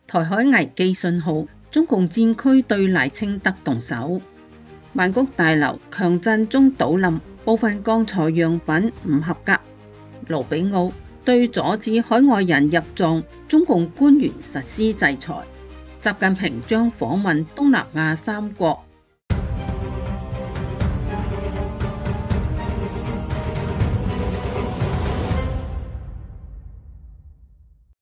台海危機信號，中共戰區對賴清德動手。曼谷大樓強震中倒冧，部分鋼材樣品唔合格。盧比奧對阻止海外人入藏中共官員實施制裁。習近平將訪問東南亞3國。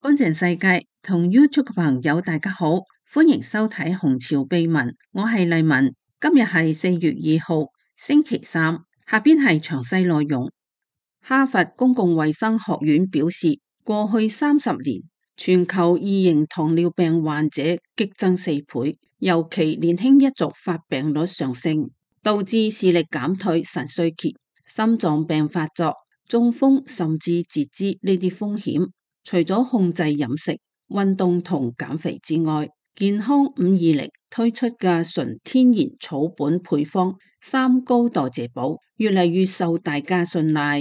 乾淨世界同 YouTube 嘅朋友大家好，歡迎收睇紅潮秘聞，我係麗文。今日係4月2號星期三，下邊係詳細內容。哈佛公共衛生學院表示，過去30年全球二型糖尿病患者激增4倍，尤其年輕一族發病率上升，導致視力減退、腎衰竭、心臟病發作、中風甚至截肢呢啲風險。除咗控制飲食、運動同減肥之外，健康520推出嘅純天然草本配方3高代謝寶越嚟越受大家信賴。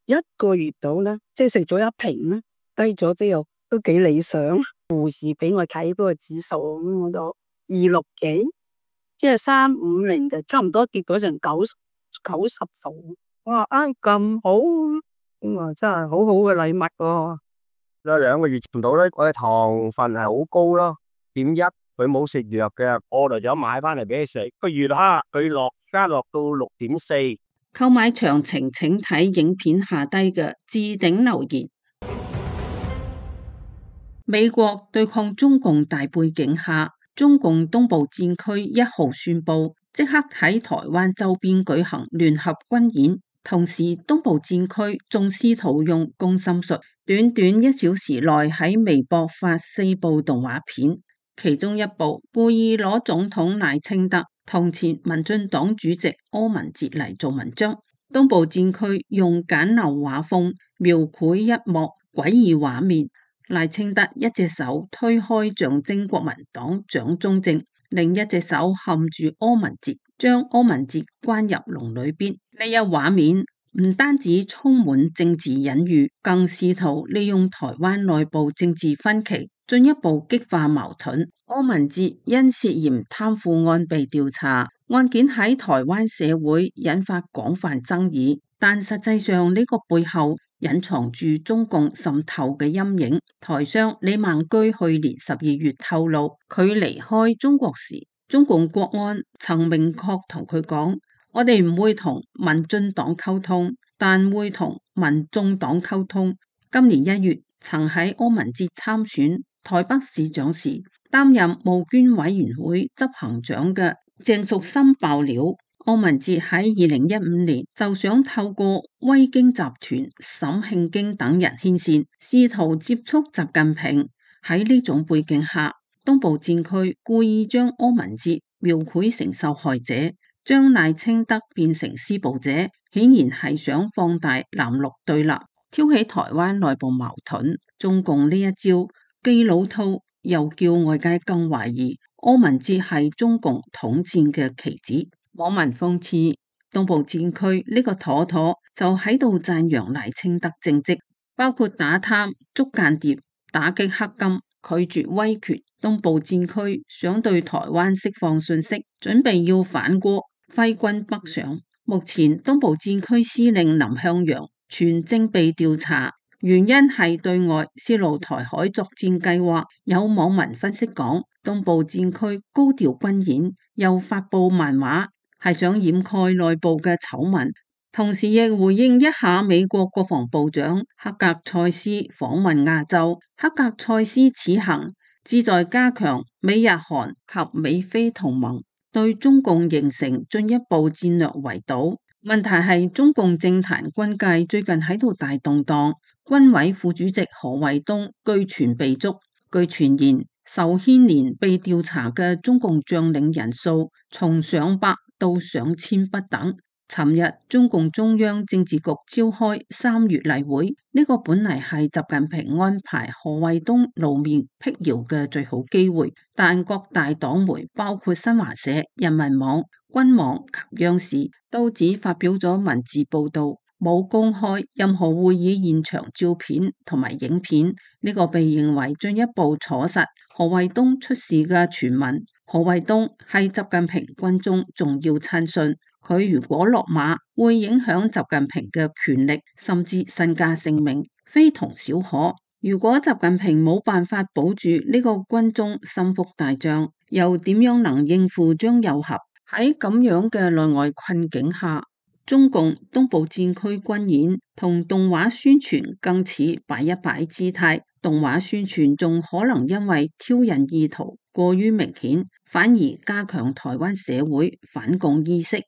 一個月到啦，即係食咗1瓶啦，低咗都幾理想。護士俾我睇嗰個指數，咁我就260幾，即係350就差唔多跌咗成90度。我話咁好，我話真係好好嘅禮物喎。2個月唔到咧，我嘅糖分係好高咯，1.1，佢冇食藥嘅，我就想買翻嚟俾佢食。個月哈，佢加落到6.4。購買詳情請睇影片下低嘅置頂留言。美國對抗中共大背景下，中共東部戰區1號宣布即刻喺台灣周邊舉行聯合軍演。同時，東部戰區仲試圖用攻心術，短短1小時內喺微博發4部動畫片，其中一部故意攞總統賴清德同前民進黨主席柯文哲嚟做文章。東部戰區用簡陋畫風描繪一幕詭異畫面，賴清德一隻手推開象徵國民黨蔣中正，另一隻手含住柯文哲，將柯文哲關入籠裏邊。呢一畫面唔單止充滿政治隱喻，更試圖利用台灣內部政治分歧，進一步激化矛盾。柯文哲因涉嫌貪腐案被調查，案件喺台灣社會引發廣泛爭議，但實際上呢個背後隱藏住中共滲透嘅陰影。台商李孟居去年12月透露，佢離開中國時，中共國安曾明確同佢講，我哋唔會同民進黨溝通，但會同民眾黨溝通。今年1月，曾喺柯文哲參選台北市長時，擔任募捐委員會執行長嘅鄭淑森爆料，柯文哲喺2015年就想透過威京集團、沈慶京等人牽線，試圖接觸習近平。喺呢種背景下，東部戰區故意將柯文哲描繪成受害者，將賴清德變成施暴者，顯然係想放大藍綠對立，挑起台灣內部矛盾。中共呢一招既老套，又叫外界更懷疑柯文哲係中共統戰嘅棋子。網民諷刺東部戰區呢個妥妥就喺度讚揚賴清德政績，包括打貪、捉間諜、打擊黑金、拒絕威權。東部戰區想對台灣釋放信息，準備要反戈揮軍北上。目前東部戰區司令林向陽全正被調查，原因係對外泄露台海作戰計劃。有網民分析講，東部戰區高調軍演又發佈漫畫，係想掩蓋內部嘅醜聞，同時亦回應一下美國國防部長克格塞斯訪問亞洲。克格塞斯此行旨在加強美日韓及美菲同盟，對中共形成進一步戰略圍堵。問題係中共政壇軍界最近喺度大動盪，軍委副主席何衛東據傳被捉。據傳言，受牽連被調查嘅中共將領人數從上百到上千不等。尋日中共中央政治局召開3月例會，呢個本嚟係習近平安排何衛東露面闢謠嘅最好機會，但各大黨媒包括新華社、人民網、軍網及央視都只發表咗文字報道，冇公開任何會議現場照片同埋影片，呢個被認為進一步坐實何衛東出事嘅傳聞。何衛東係習近平軍中重要親信，佢如果落馬，會影響習近平嘅權力，甚至身家性命，非同小可。如果習近平冇辦法保住呢個軍中心腹大將，又點樣能應付張又俠？喺咁樣嘅內外困境下，中共東部戰區軍演同動畫宣傳更似擺一擺姿態，動畫宣傳仲可能因為挑釁意圖過於明顯，反而加強台灣社會反共意識。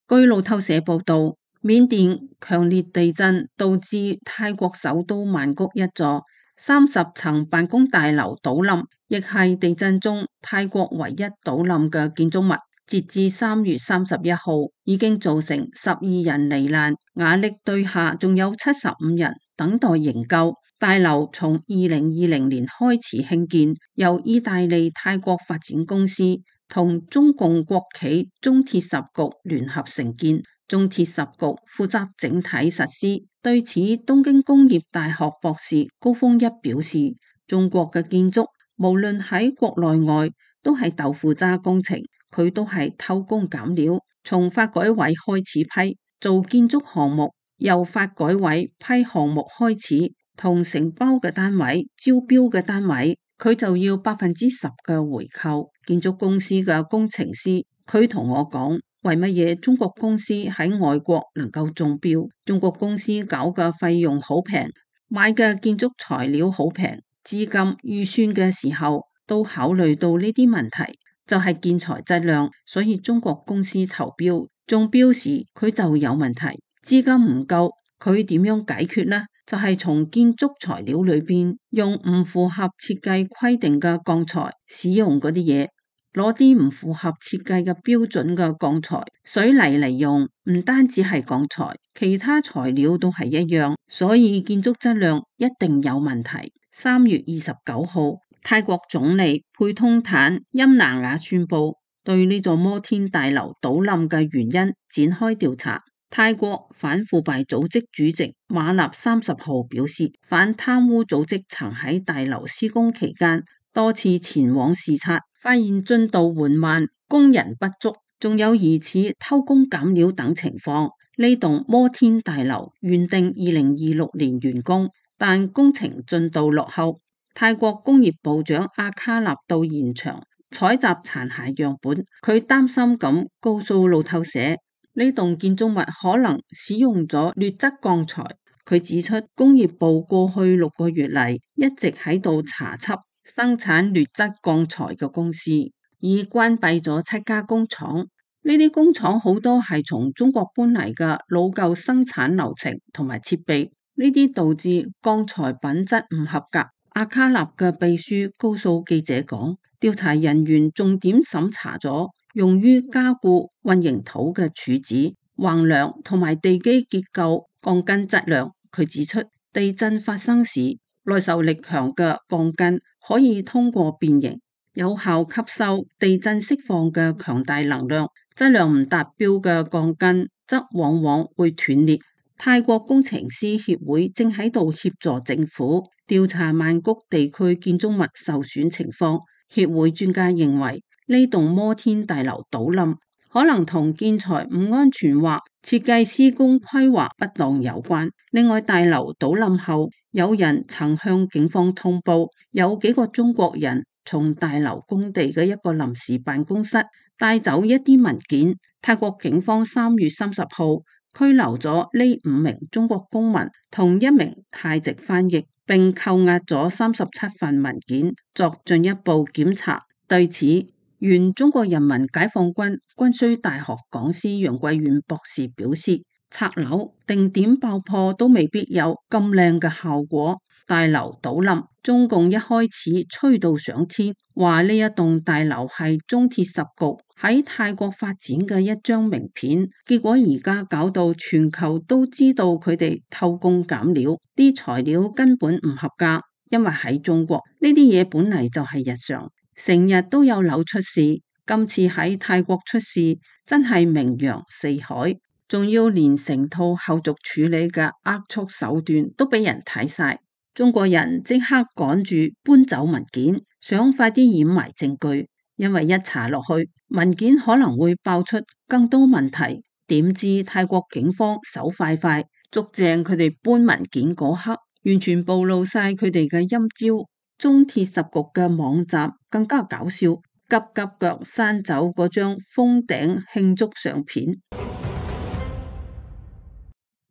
據路透社報道，緬甸強烈地震導致泰國首都曼谷一座30層辦公大樓倒冧，亦係地震中泰國唯一倒冧嘅建築物。截至3月31號，已經造成12人罹難，瓦礫堆下仲有75人等待營救。大樓從2020年開始興建，由意大利泰國發展公司同中共國企中鐵十局聯合承建，中鐵十局負責整體實施。對此，東京工業大學博士高峰一表示，中國嘅建築無論喺國內外都係豆腐渣工程，佢都係偷工減料。從發改委開始批做建築項目，由發改委批項目開始，同承包嘅單位、招標嘅單位，佢就要10%嘅回扣。建築公司嘅工程師，佢同我講，為乜嘢中國公司喺外國能夠中標？中國公司搞嘅費用好平，買嘅建築材料好平，資金預算嘅時候都考慮到呢啲問題，就係建材質量。所以中國公司投標中標時佢就有問題，資金唔夠，佢點樣解決呢？就係從建築材料裏邊用唔符合設計規定嘅鋼材使用嗰啲嘢，攞啲唔符合設計嘅標準嘅鋼材、水泥嚟用，唔單止係鋼材，其他材料都係一樣，所以建築質量一定有問題。3月29號，泰國總理佩通坦欽納雅宣布對呢座摩天大樓倒冧嘅原因展開調查。泰國反腐敗組織主席馬納30號表示，反貪污組織曾喺大樓施工期間多次前往視察，發現進度緩慢、工人不足，仲有疑似偷工減料等情況。呢棟摩天大樓原定2026年完工，但工程進度落後。泰國工業部長阿卡納到現場採集殘骸樣本，佢擔心咁告訴路透社，呢棟建築物可能使用咗劣質鋼材。佢指出，工業部過去6個月嚟一直喺度查緝生產劣質鋼材嘅公司，已關閉咗7家工廠。呢啲工廠好多係從中國搬嚟嘅老舊生產流程同埋設備，呢啲導致鋼材品質唔合格。阿卡納嘅秘書告訴記者講，調查人員重點審查咗用於加固混凝土嘅柱子、橫梁同埋地基結構鋼筋質量。佢指出，地震發生時，耐受力強嘅鋼筋可以通過變形，有效吸收地震釋放嘅強大能量。質量唔達標嘅鋼筋則往往會斷裂。泰國工程師協會正喺度協助政府調查曼谷地區建築物受損情況。協會專家認為，呢棟摩天大樓倒冧可能同建材唔安全或設計施工規劃不當有關。另外，大樓倒冧後，有人曾向警方通報，有幾個中國人從大樓工地嘅一個臨時辦公室帶走一啲文件。泰國警方3月30號拘留咗呢5名中國公民同1名泰籍翻譯，並扣押咗37份文件作進一步檢查。對此，原中國人民解放軍軍需大學講師楊貴遠博士表示，拆樓定點爆破都未必有咁靚嘅效果。大樓倒冧，中共一開始吹到上天，話呢一棟大樓係中鐵十局喺泰國發展嘅一張名片，結果而家搞到全球都知道佢哋偷工減料，啲材料根本唔合格。因為喺中國呢啲嘢本嚟就係日常，成日都有樓出事，今次喺泰國出事真係名揚四海。仲要連成套後續處理嘅扼速手段都俾人睇晒。中國人即刻趕住搬走文件，想快啲掩埋證據，因為一查落去，文件可能會爆出更多問題。點知泰國警方手快快，捉正佢哋搬文件嗰刻，完全暴露晒佢哋嘅陰招。中鐵十局嘅網站更加搞笑，急急腳刪走嗰張封頂慶祝相片。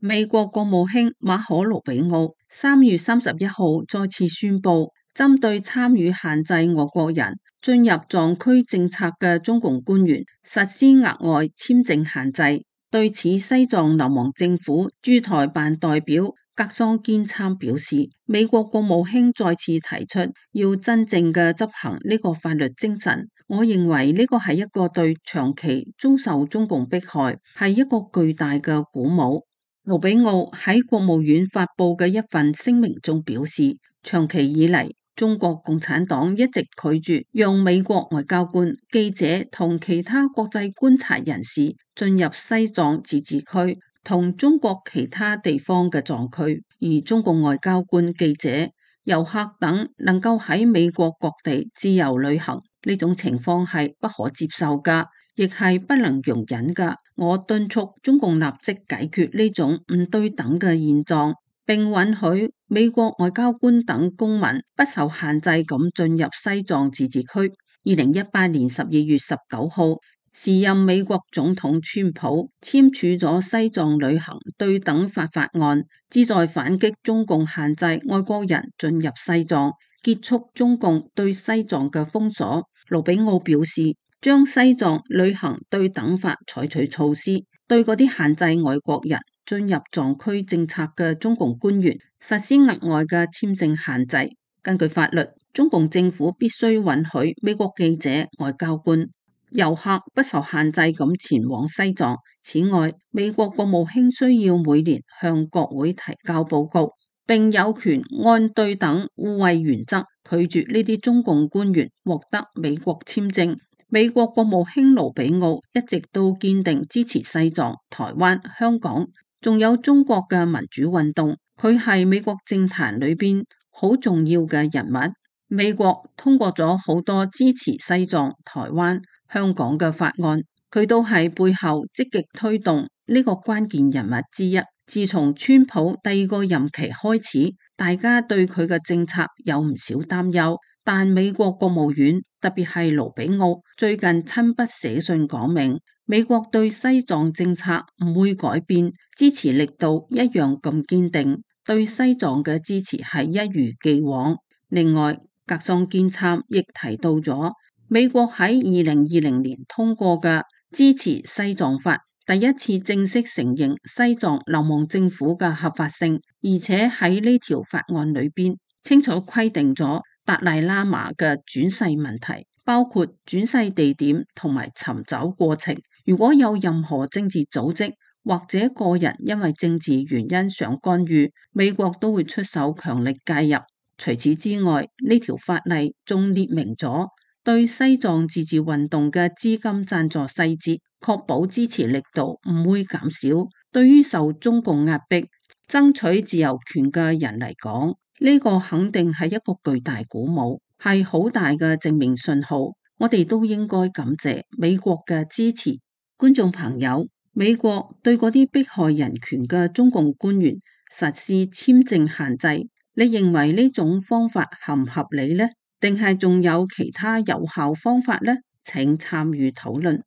美國國務卿馬可盧比奧3月31號再次宣布，針對參與限制外國人進入藏區政策嘅中共官員實施額外簽證限制。對此，西藏流亡政府駐台辦代表格桑堅參表示，美國國務卿再次提出要真正嘅執行呢個法律精神，我認為呢個係一個對長期遭受中共迫害係一個巨大嘅鼓舞。盧比奧喺國務院發佈嘅一份聲明中表示，長期以嚟，中國共產黨一直拒絕讓美國外交官、記者同其他國際觀察人士進入西藏自治區同中國其他地方嘅藏區，而中共外交官、記者、遊客等能夠喺美國各地自由旅行，呢種情況係不可接受噶，亦係不能容忍噶。我敦促中共立即解決呢種唔對等嘅現狀，並允許美國外交官等公民不受限制咁進入西藏自治區。2018年12月19號，時任美國總統川普簽署咗西藏旅行對等法案，旨在反擊中共限制外國人進入西藏，結束中共對西藏嘅封鎖。盧比奧表示，將西藏旅行對等法採取措施，對嗰啲限制外國人進入藏區政策嘅中共官員實施額外嘅簽證限制。根據法律，中共政府必須允許美國記者、外交官、遊客不受限制咁前往西藏。此外，美國國務卿需要每年向國會提交報告，並有權按對等互惠原則拒絕呢啲中共官員獲得美國簽證。美國國務卿盧比奧一直都堅定支持西藏、台灣、香港，仲有中國嘅民主運動。佢係美國政壇裏邊好重要嘅人物。美國通過咗好多支持西藏、台灣、香港嘅法案，佢都係背後積極推動呢個關鍵人物之一。自從川普第二個任期開始，大家對佢嘅政策有唔少擔憂。但美國國務院特別係盧比奧最近親筆寫信講明，美國對西藏政策唔會改變，支持力度一樣咁堅定，對西藏嘅支持係一如既往。另外，格桑堅參亦提到咗美國喺2020年通過嘅支持西藏法，第一次正式承認西藏流亡政府嘅合法性，而且喺呢條法案裏邊清楚規定咗達賴喇嘛嘅轉世問題，包括轉世地點同埋尋找過程。如果有任何政治組織或者個人因為政治原因想干預，美國都會出手強力介入。除此之外，呢條法例仲列明咗對西藏自治運動嘅資金贊助細節，確保支持力度唔會減少。對於受中共壓迫、爭取自由權嘅人嚟講，呢個肯定係一個巨大鼓舞，係好大嘅正面信號。我哋都應該感謝美國嘅支持。觀眾朋友，美國對嗰啲迫害人權嘅中共官員實施簽證限制，你認為呢種方法合唔合理呢？定係仲有其他有效方法呢？請參與討論。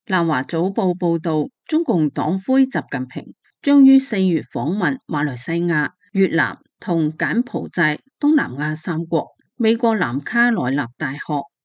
南華早報報道，中共黨魁習近平將於4月訪問馬來西亞、越南同柬埔寨東南亞3國。美國南卡羅來納大學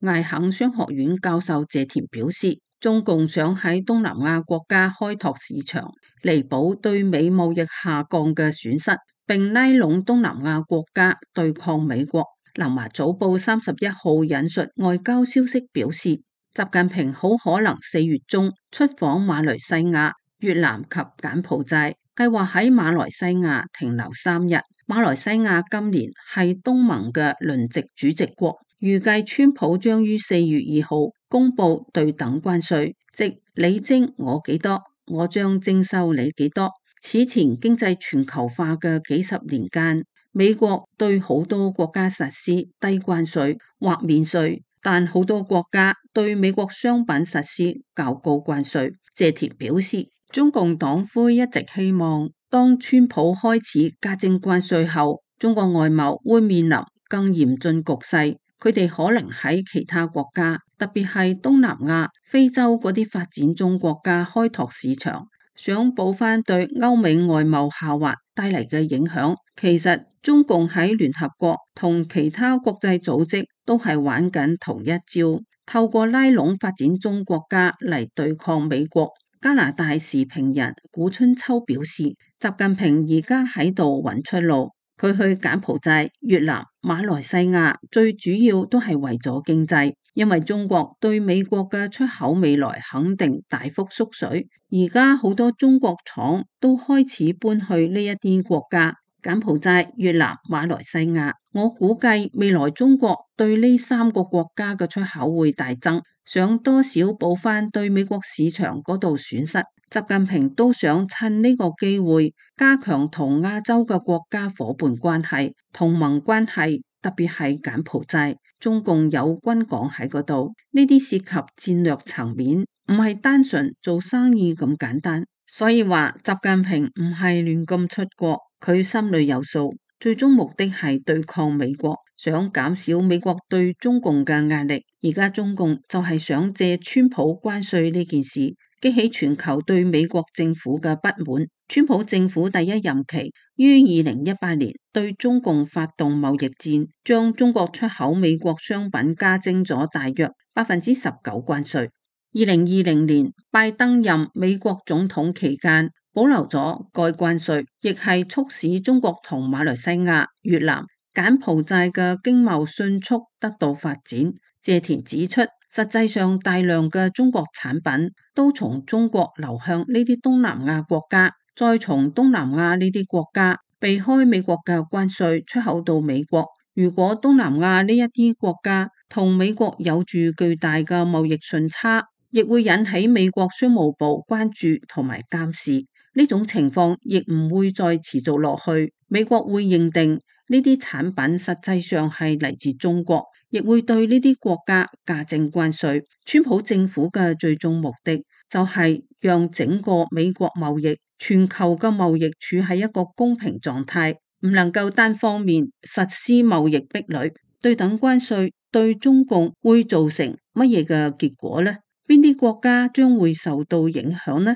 艾肯商學院教授謝田表示，中共想喺東南亞國家開拓市場，彌補對美貿易下降嘅損失，並拉攏東南亞國家對抗美國。南華早報31號引述外交消息表示，習近平好可能4月中出訪馬來西亞、越南及柬埔寨，計劃喺馬來西亞停留3日。馬來西亞今年係東盟嘅輪值主席國，預計川普將於4月2號公布對等關稅，即你徵我幾多，我將徵收你幾多。此前經濟全球化嘅幾十年間，美國對好多國家實施低關稅或免稅，但好多國家對美國商品實施較高關稅。謝田表示，中共黨魁一直希望當川普開始加徵關稅後，中國外貿會面臨更嚴峻局勢。佢哋可能喺其他國家，特別係東南亞、非洲嗰啲發展中國家開拓市場，想補翻對歐美外貿下滑帶嚟嘅影響。其實中共喺聯合國同其他國際組織都係玩緊同一招，透過拉攏發展中國家嚟對抗美國。加拿大時評人古春秋表示，習近平而家喺度揾出路。佢去柬埔寨、越南、馬來西亞，最主要都係為咗經濟，因為中國對美國嘅出口未來肯定大幅縮水。而家好多中國廠都開始搬去呢一啲國家，柬埔寨、越南、馬來西亞。我估計未來中國對呢3個國家嘅出口會大增，想多少補翻對美國市場嗰度損失。習近平都想趁呢個機會加強同亞洲嘅國家夥伴關係、同盟關係，特別係柬埔寨，中共有軍港喺嗰度，呢啲涉及戰略層面，唔係單純做生意咁簡單。所以話習近平唔係亂咁出國，佢心裏有數，最終目的係對抗美國，想減少美國對中共嘅壓力。而家中共就係想借川普關稅呢件事，激起全球對美國政府嘅不滿。川普政府第一任期於2018年對中共發動貿易戰，將中國出口美國商品加徵咗大約19%關稅。2020年拜登任美國總統期間保留咗該關稅，亦係促使中國同馬來西亞、越南、柬埔寨嘅經貿迅速得到發展。謝田指出，實際上大量嘅中國產品都從中國流向呢啲東南亞國家，再從東南亞呢啲國家避開美國嘅關稅出口到美國。如果東南亞呢一啲國家同美國有住巨大嘅貿易順差，亦會引起美國商務部關注同埋監視。呢種情況亦唔會再持續落去，美國會認定呢啲產品實際上係嚟自中國，亦會對呢啲國家加徵關稅。川普政府嘅最終目的就係讓整個美國貿易、全球嘅貿易處喺一個公平狀態，唔能夠單方面實施貿易壁壘。對等關稅對中共會造成乜嘢嘅結果呢？邊啲國家將會受到影響呢？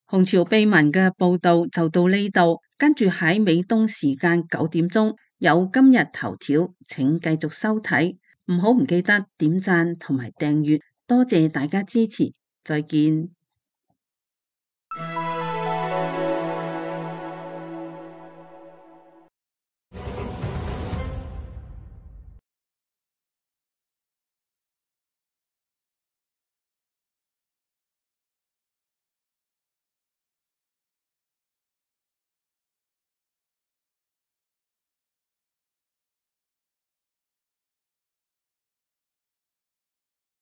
紅潮秘聞嘅報道就到呢度，跟住喺美東時間9點鐘有今日頭條，請繼續收睇，唔記得點讚同埋訂閱，多謝大家支持，再見。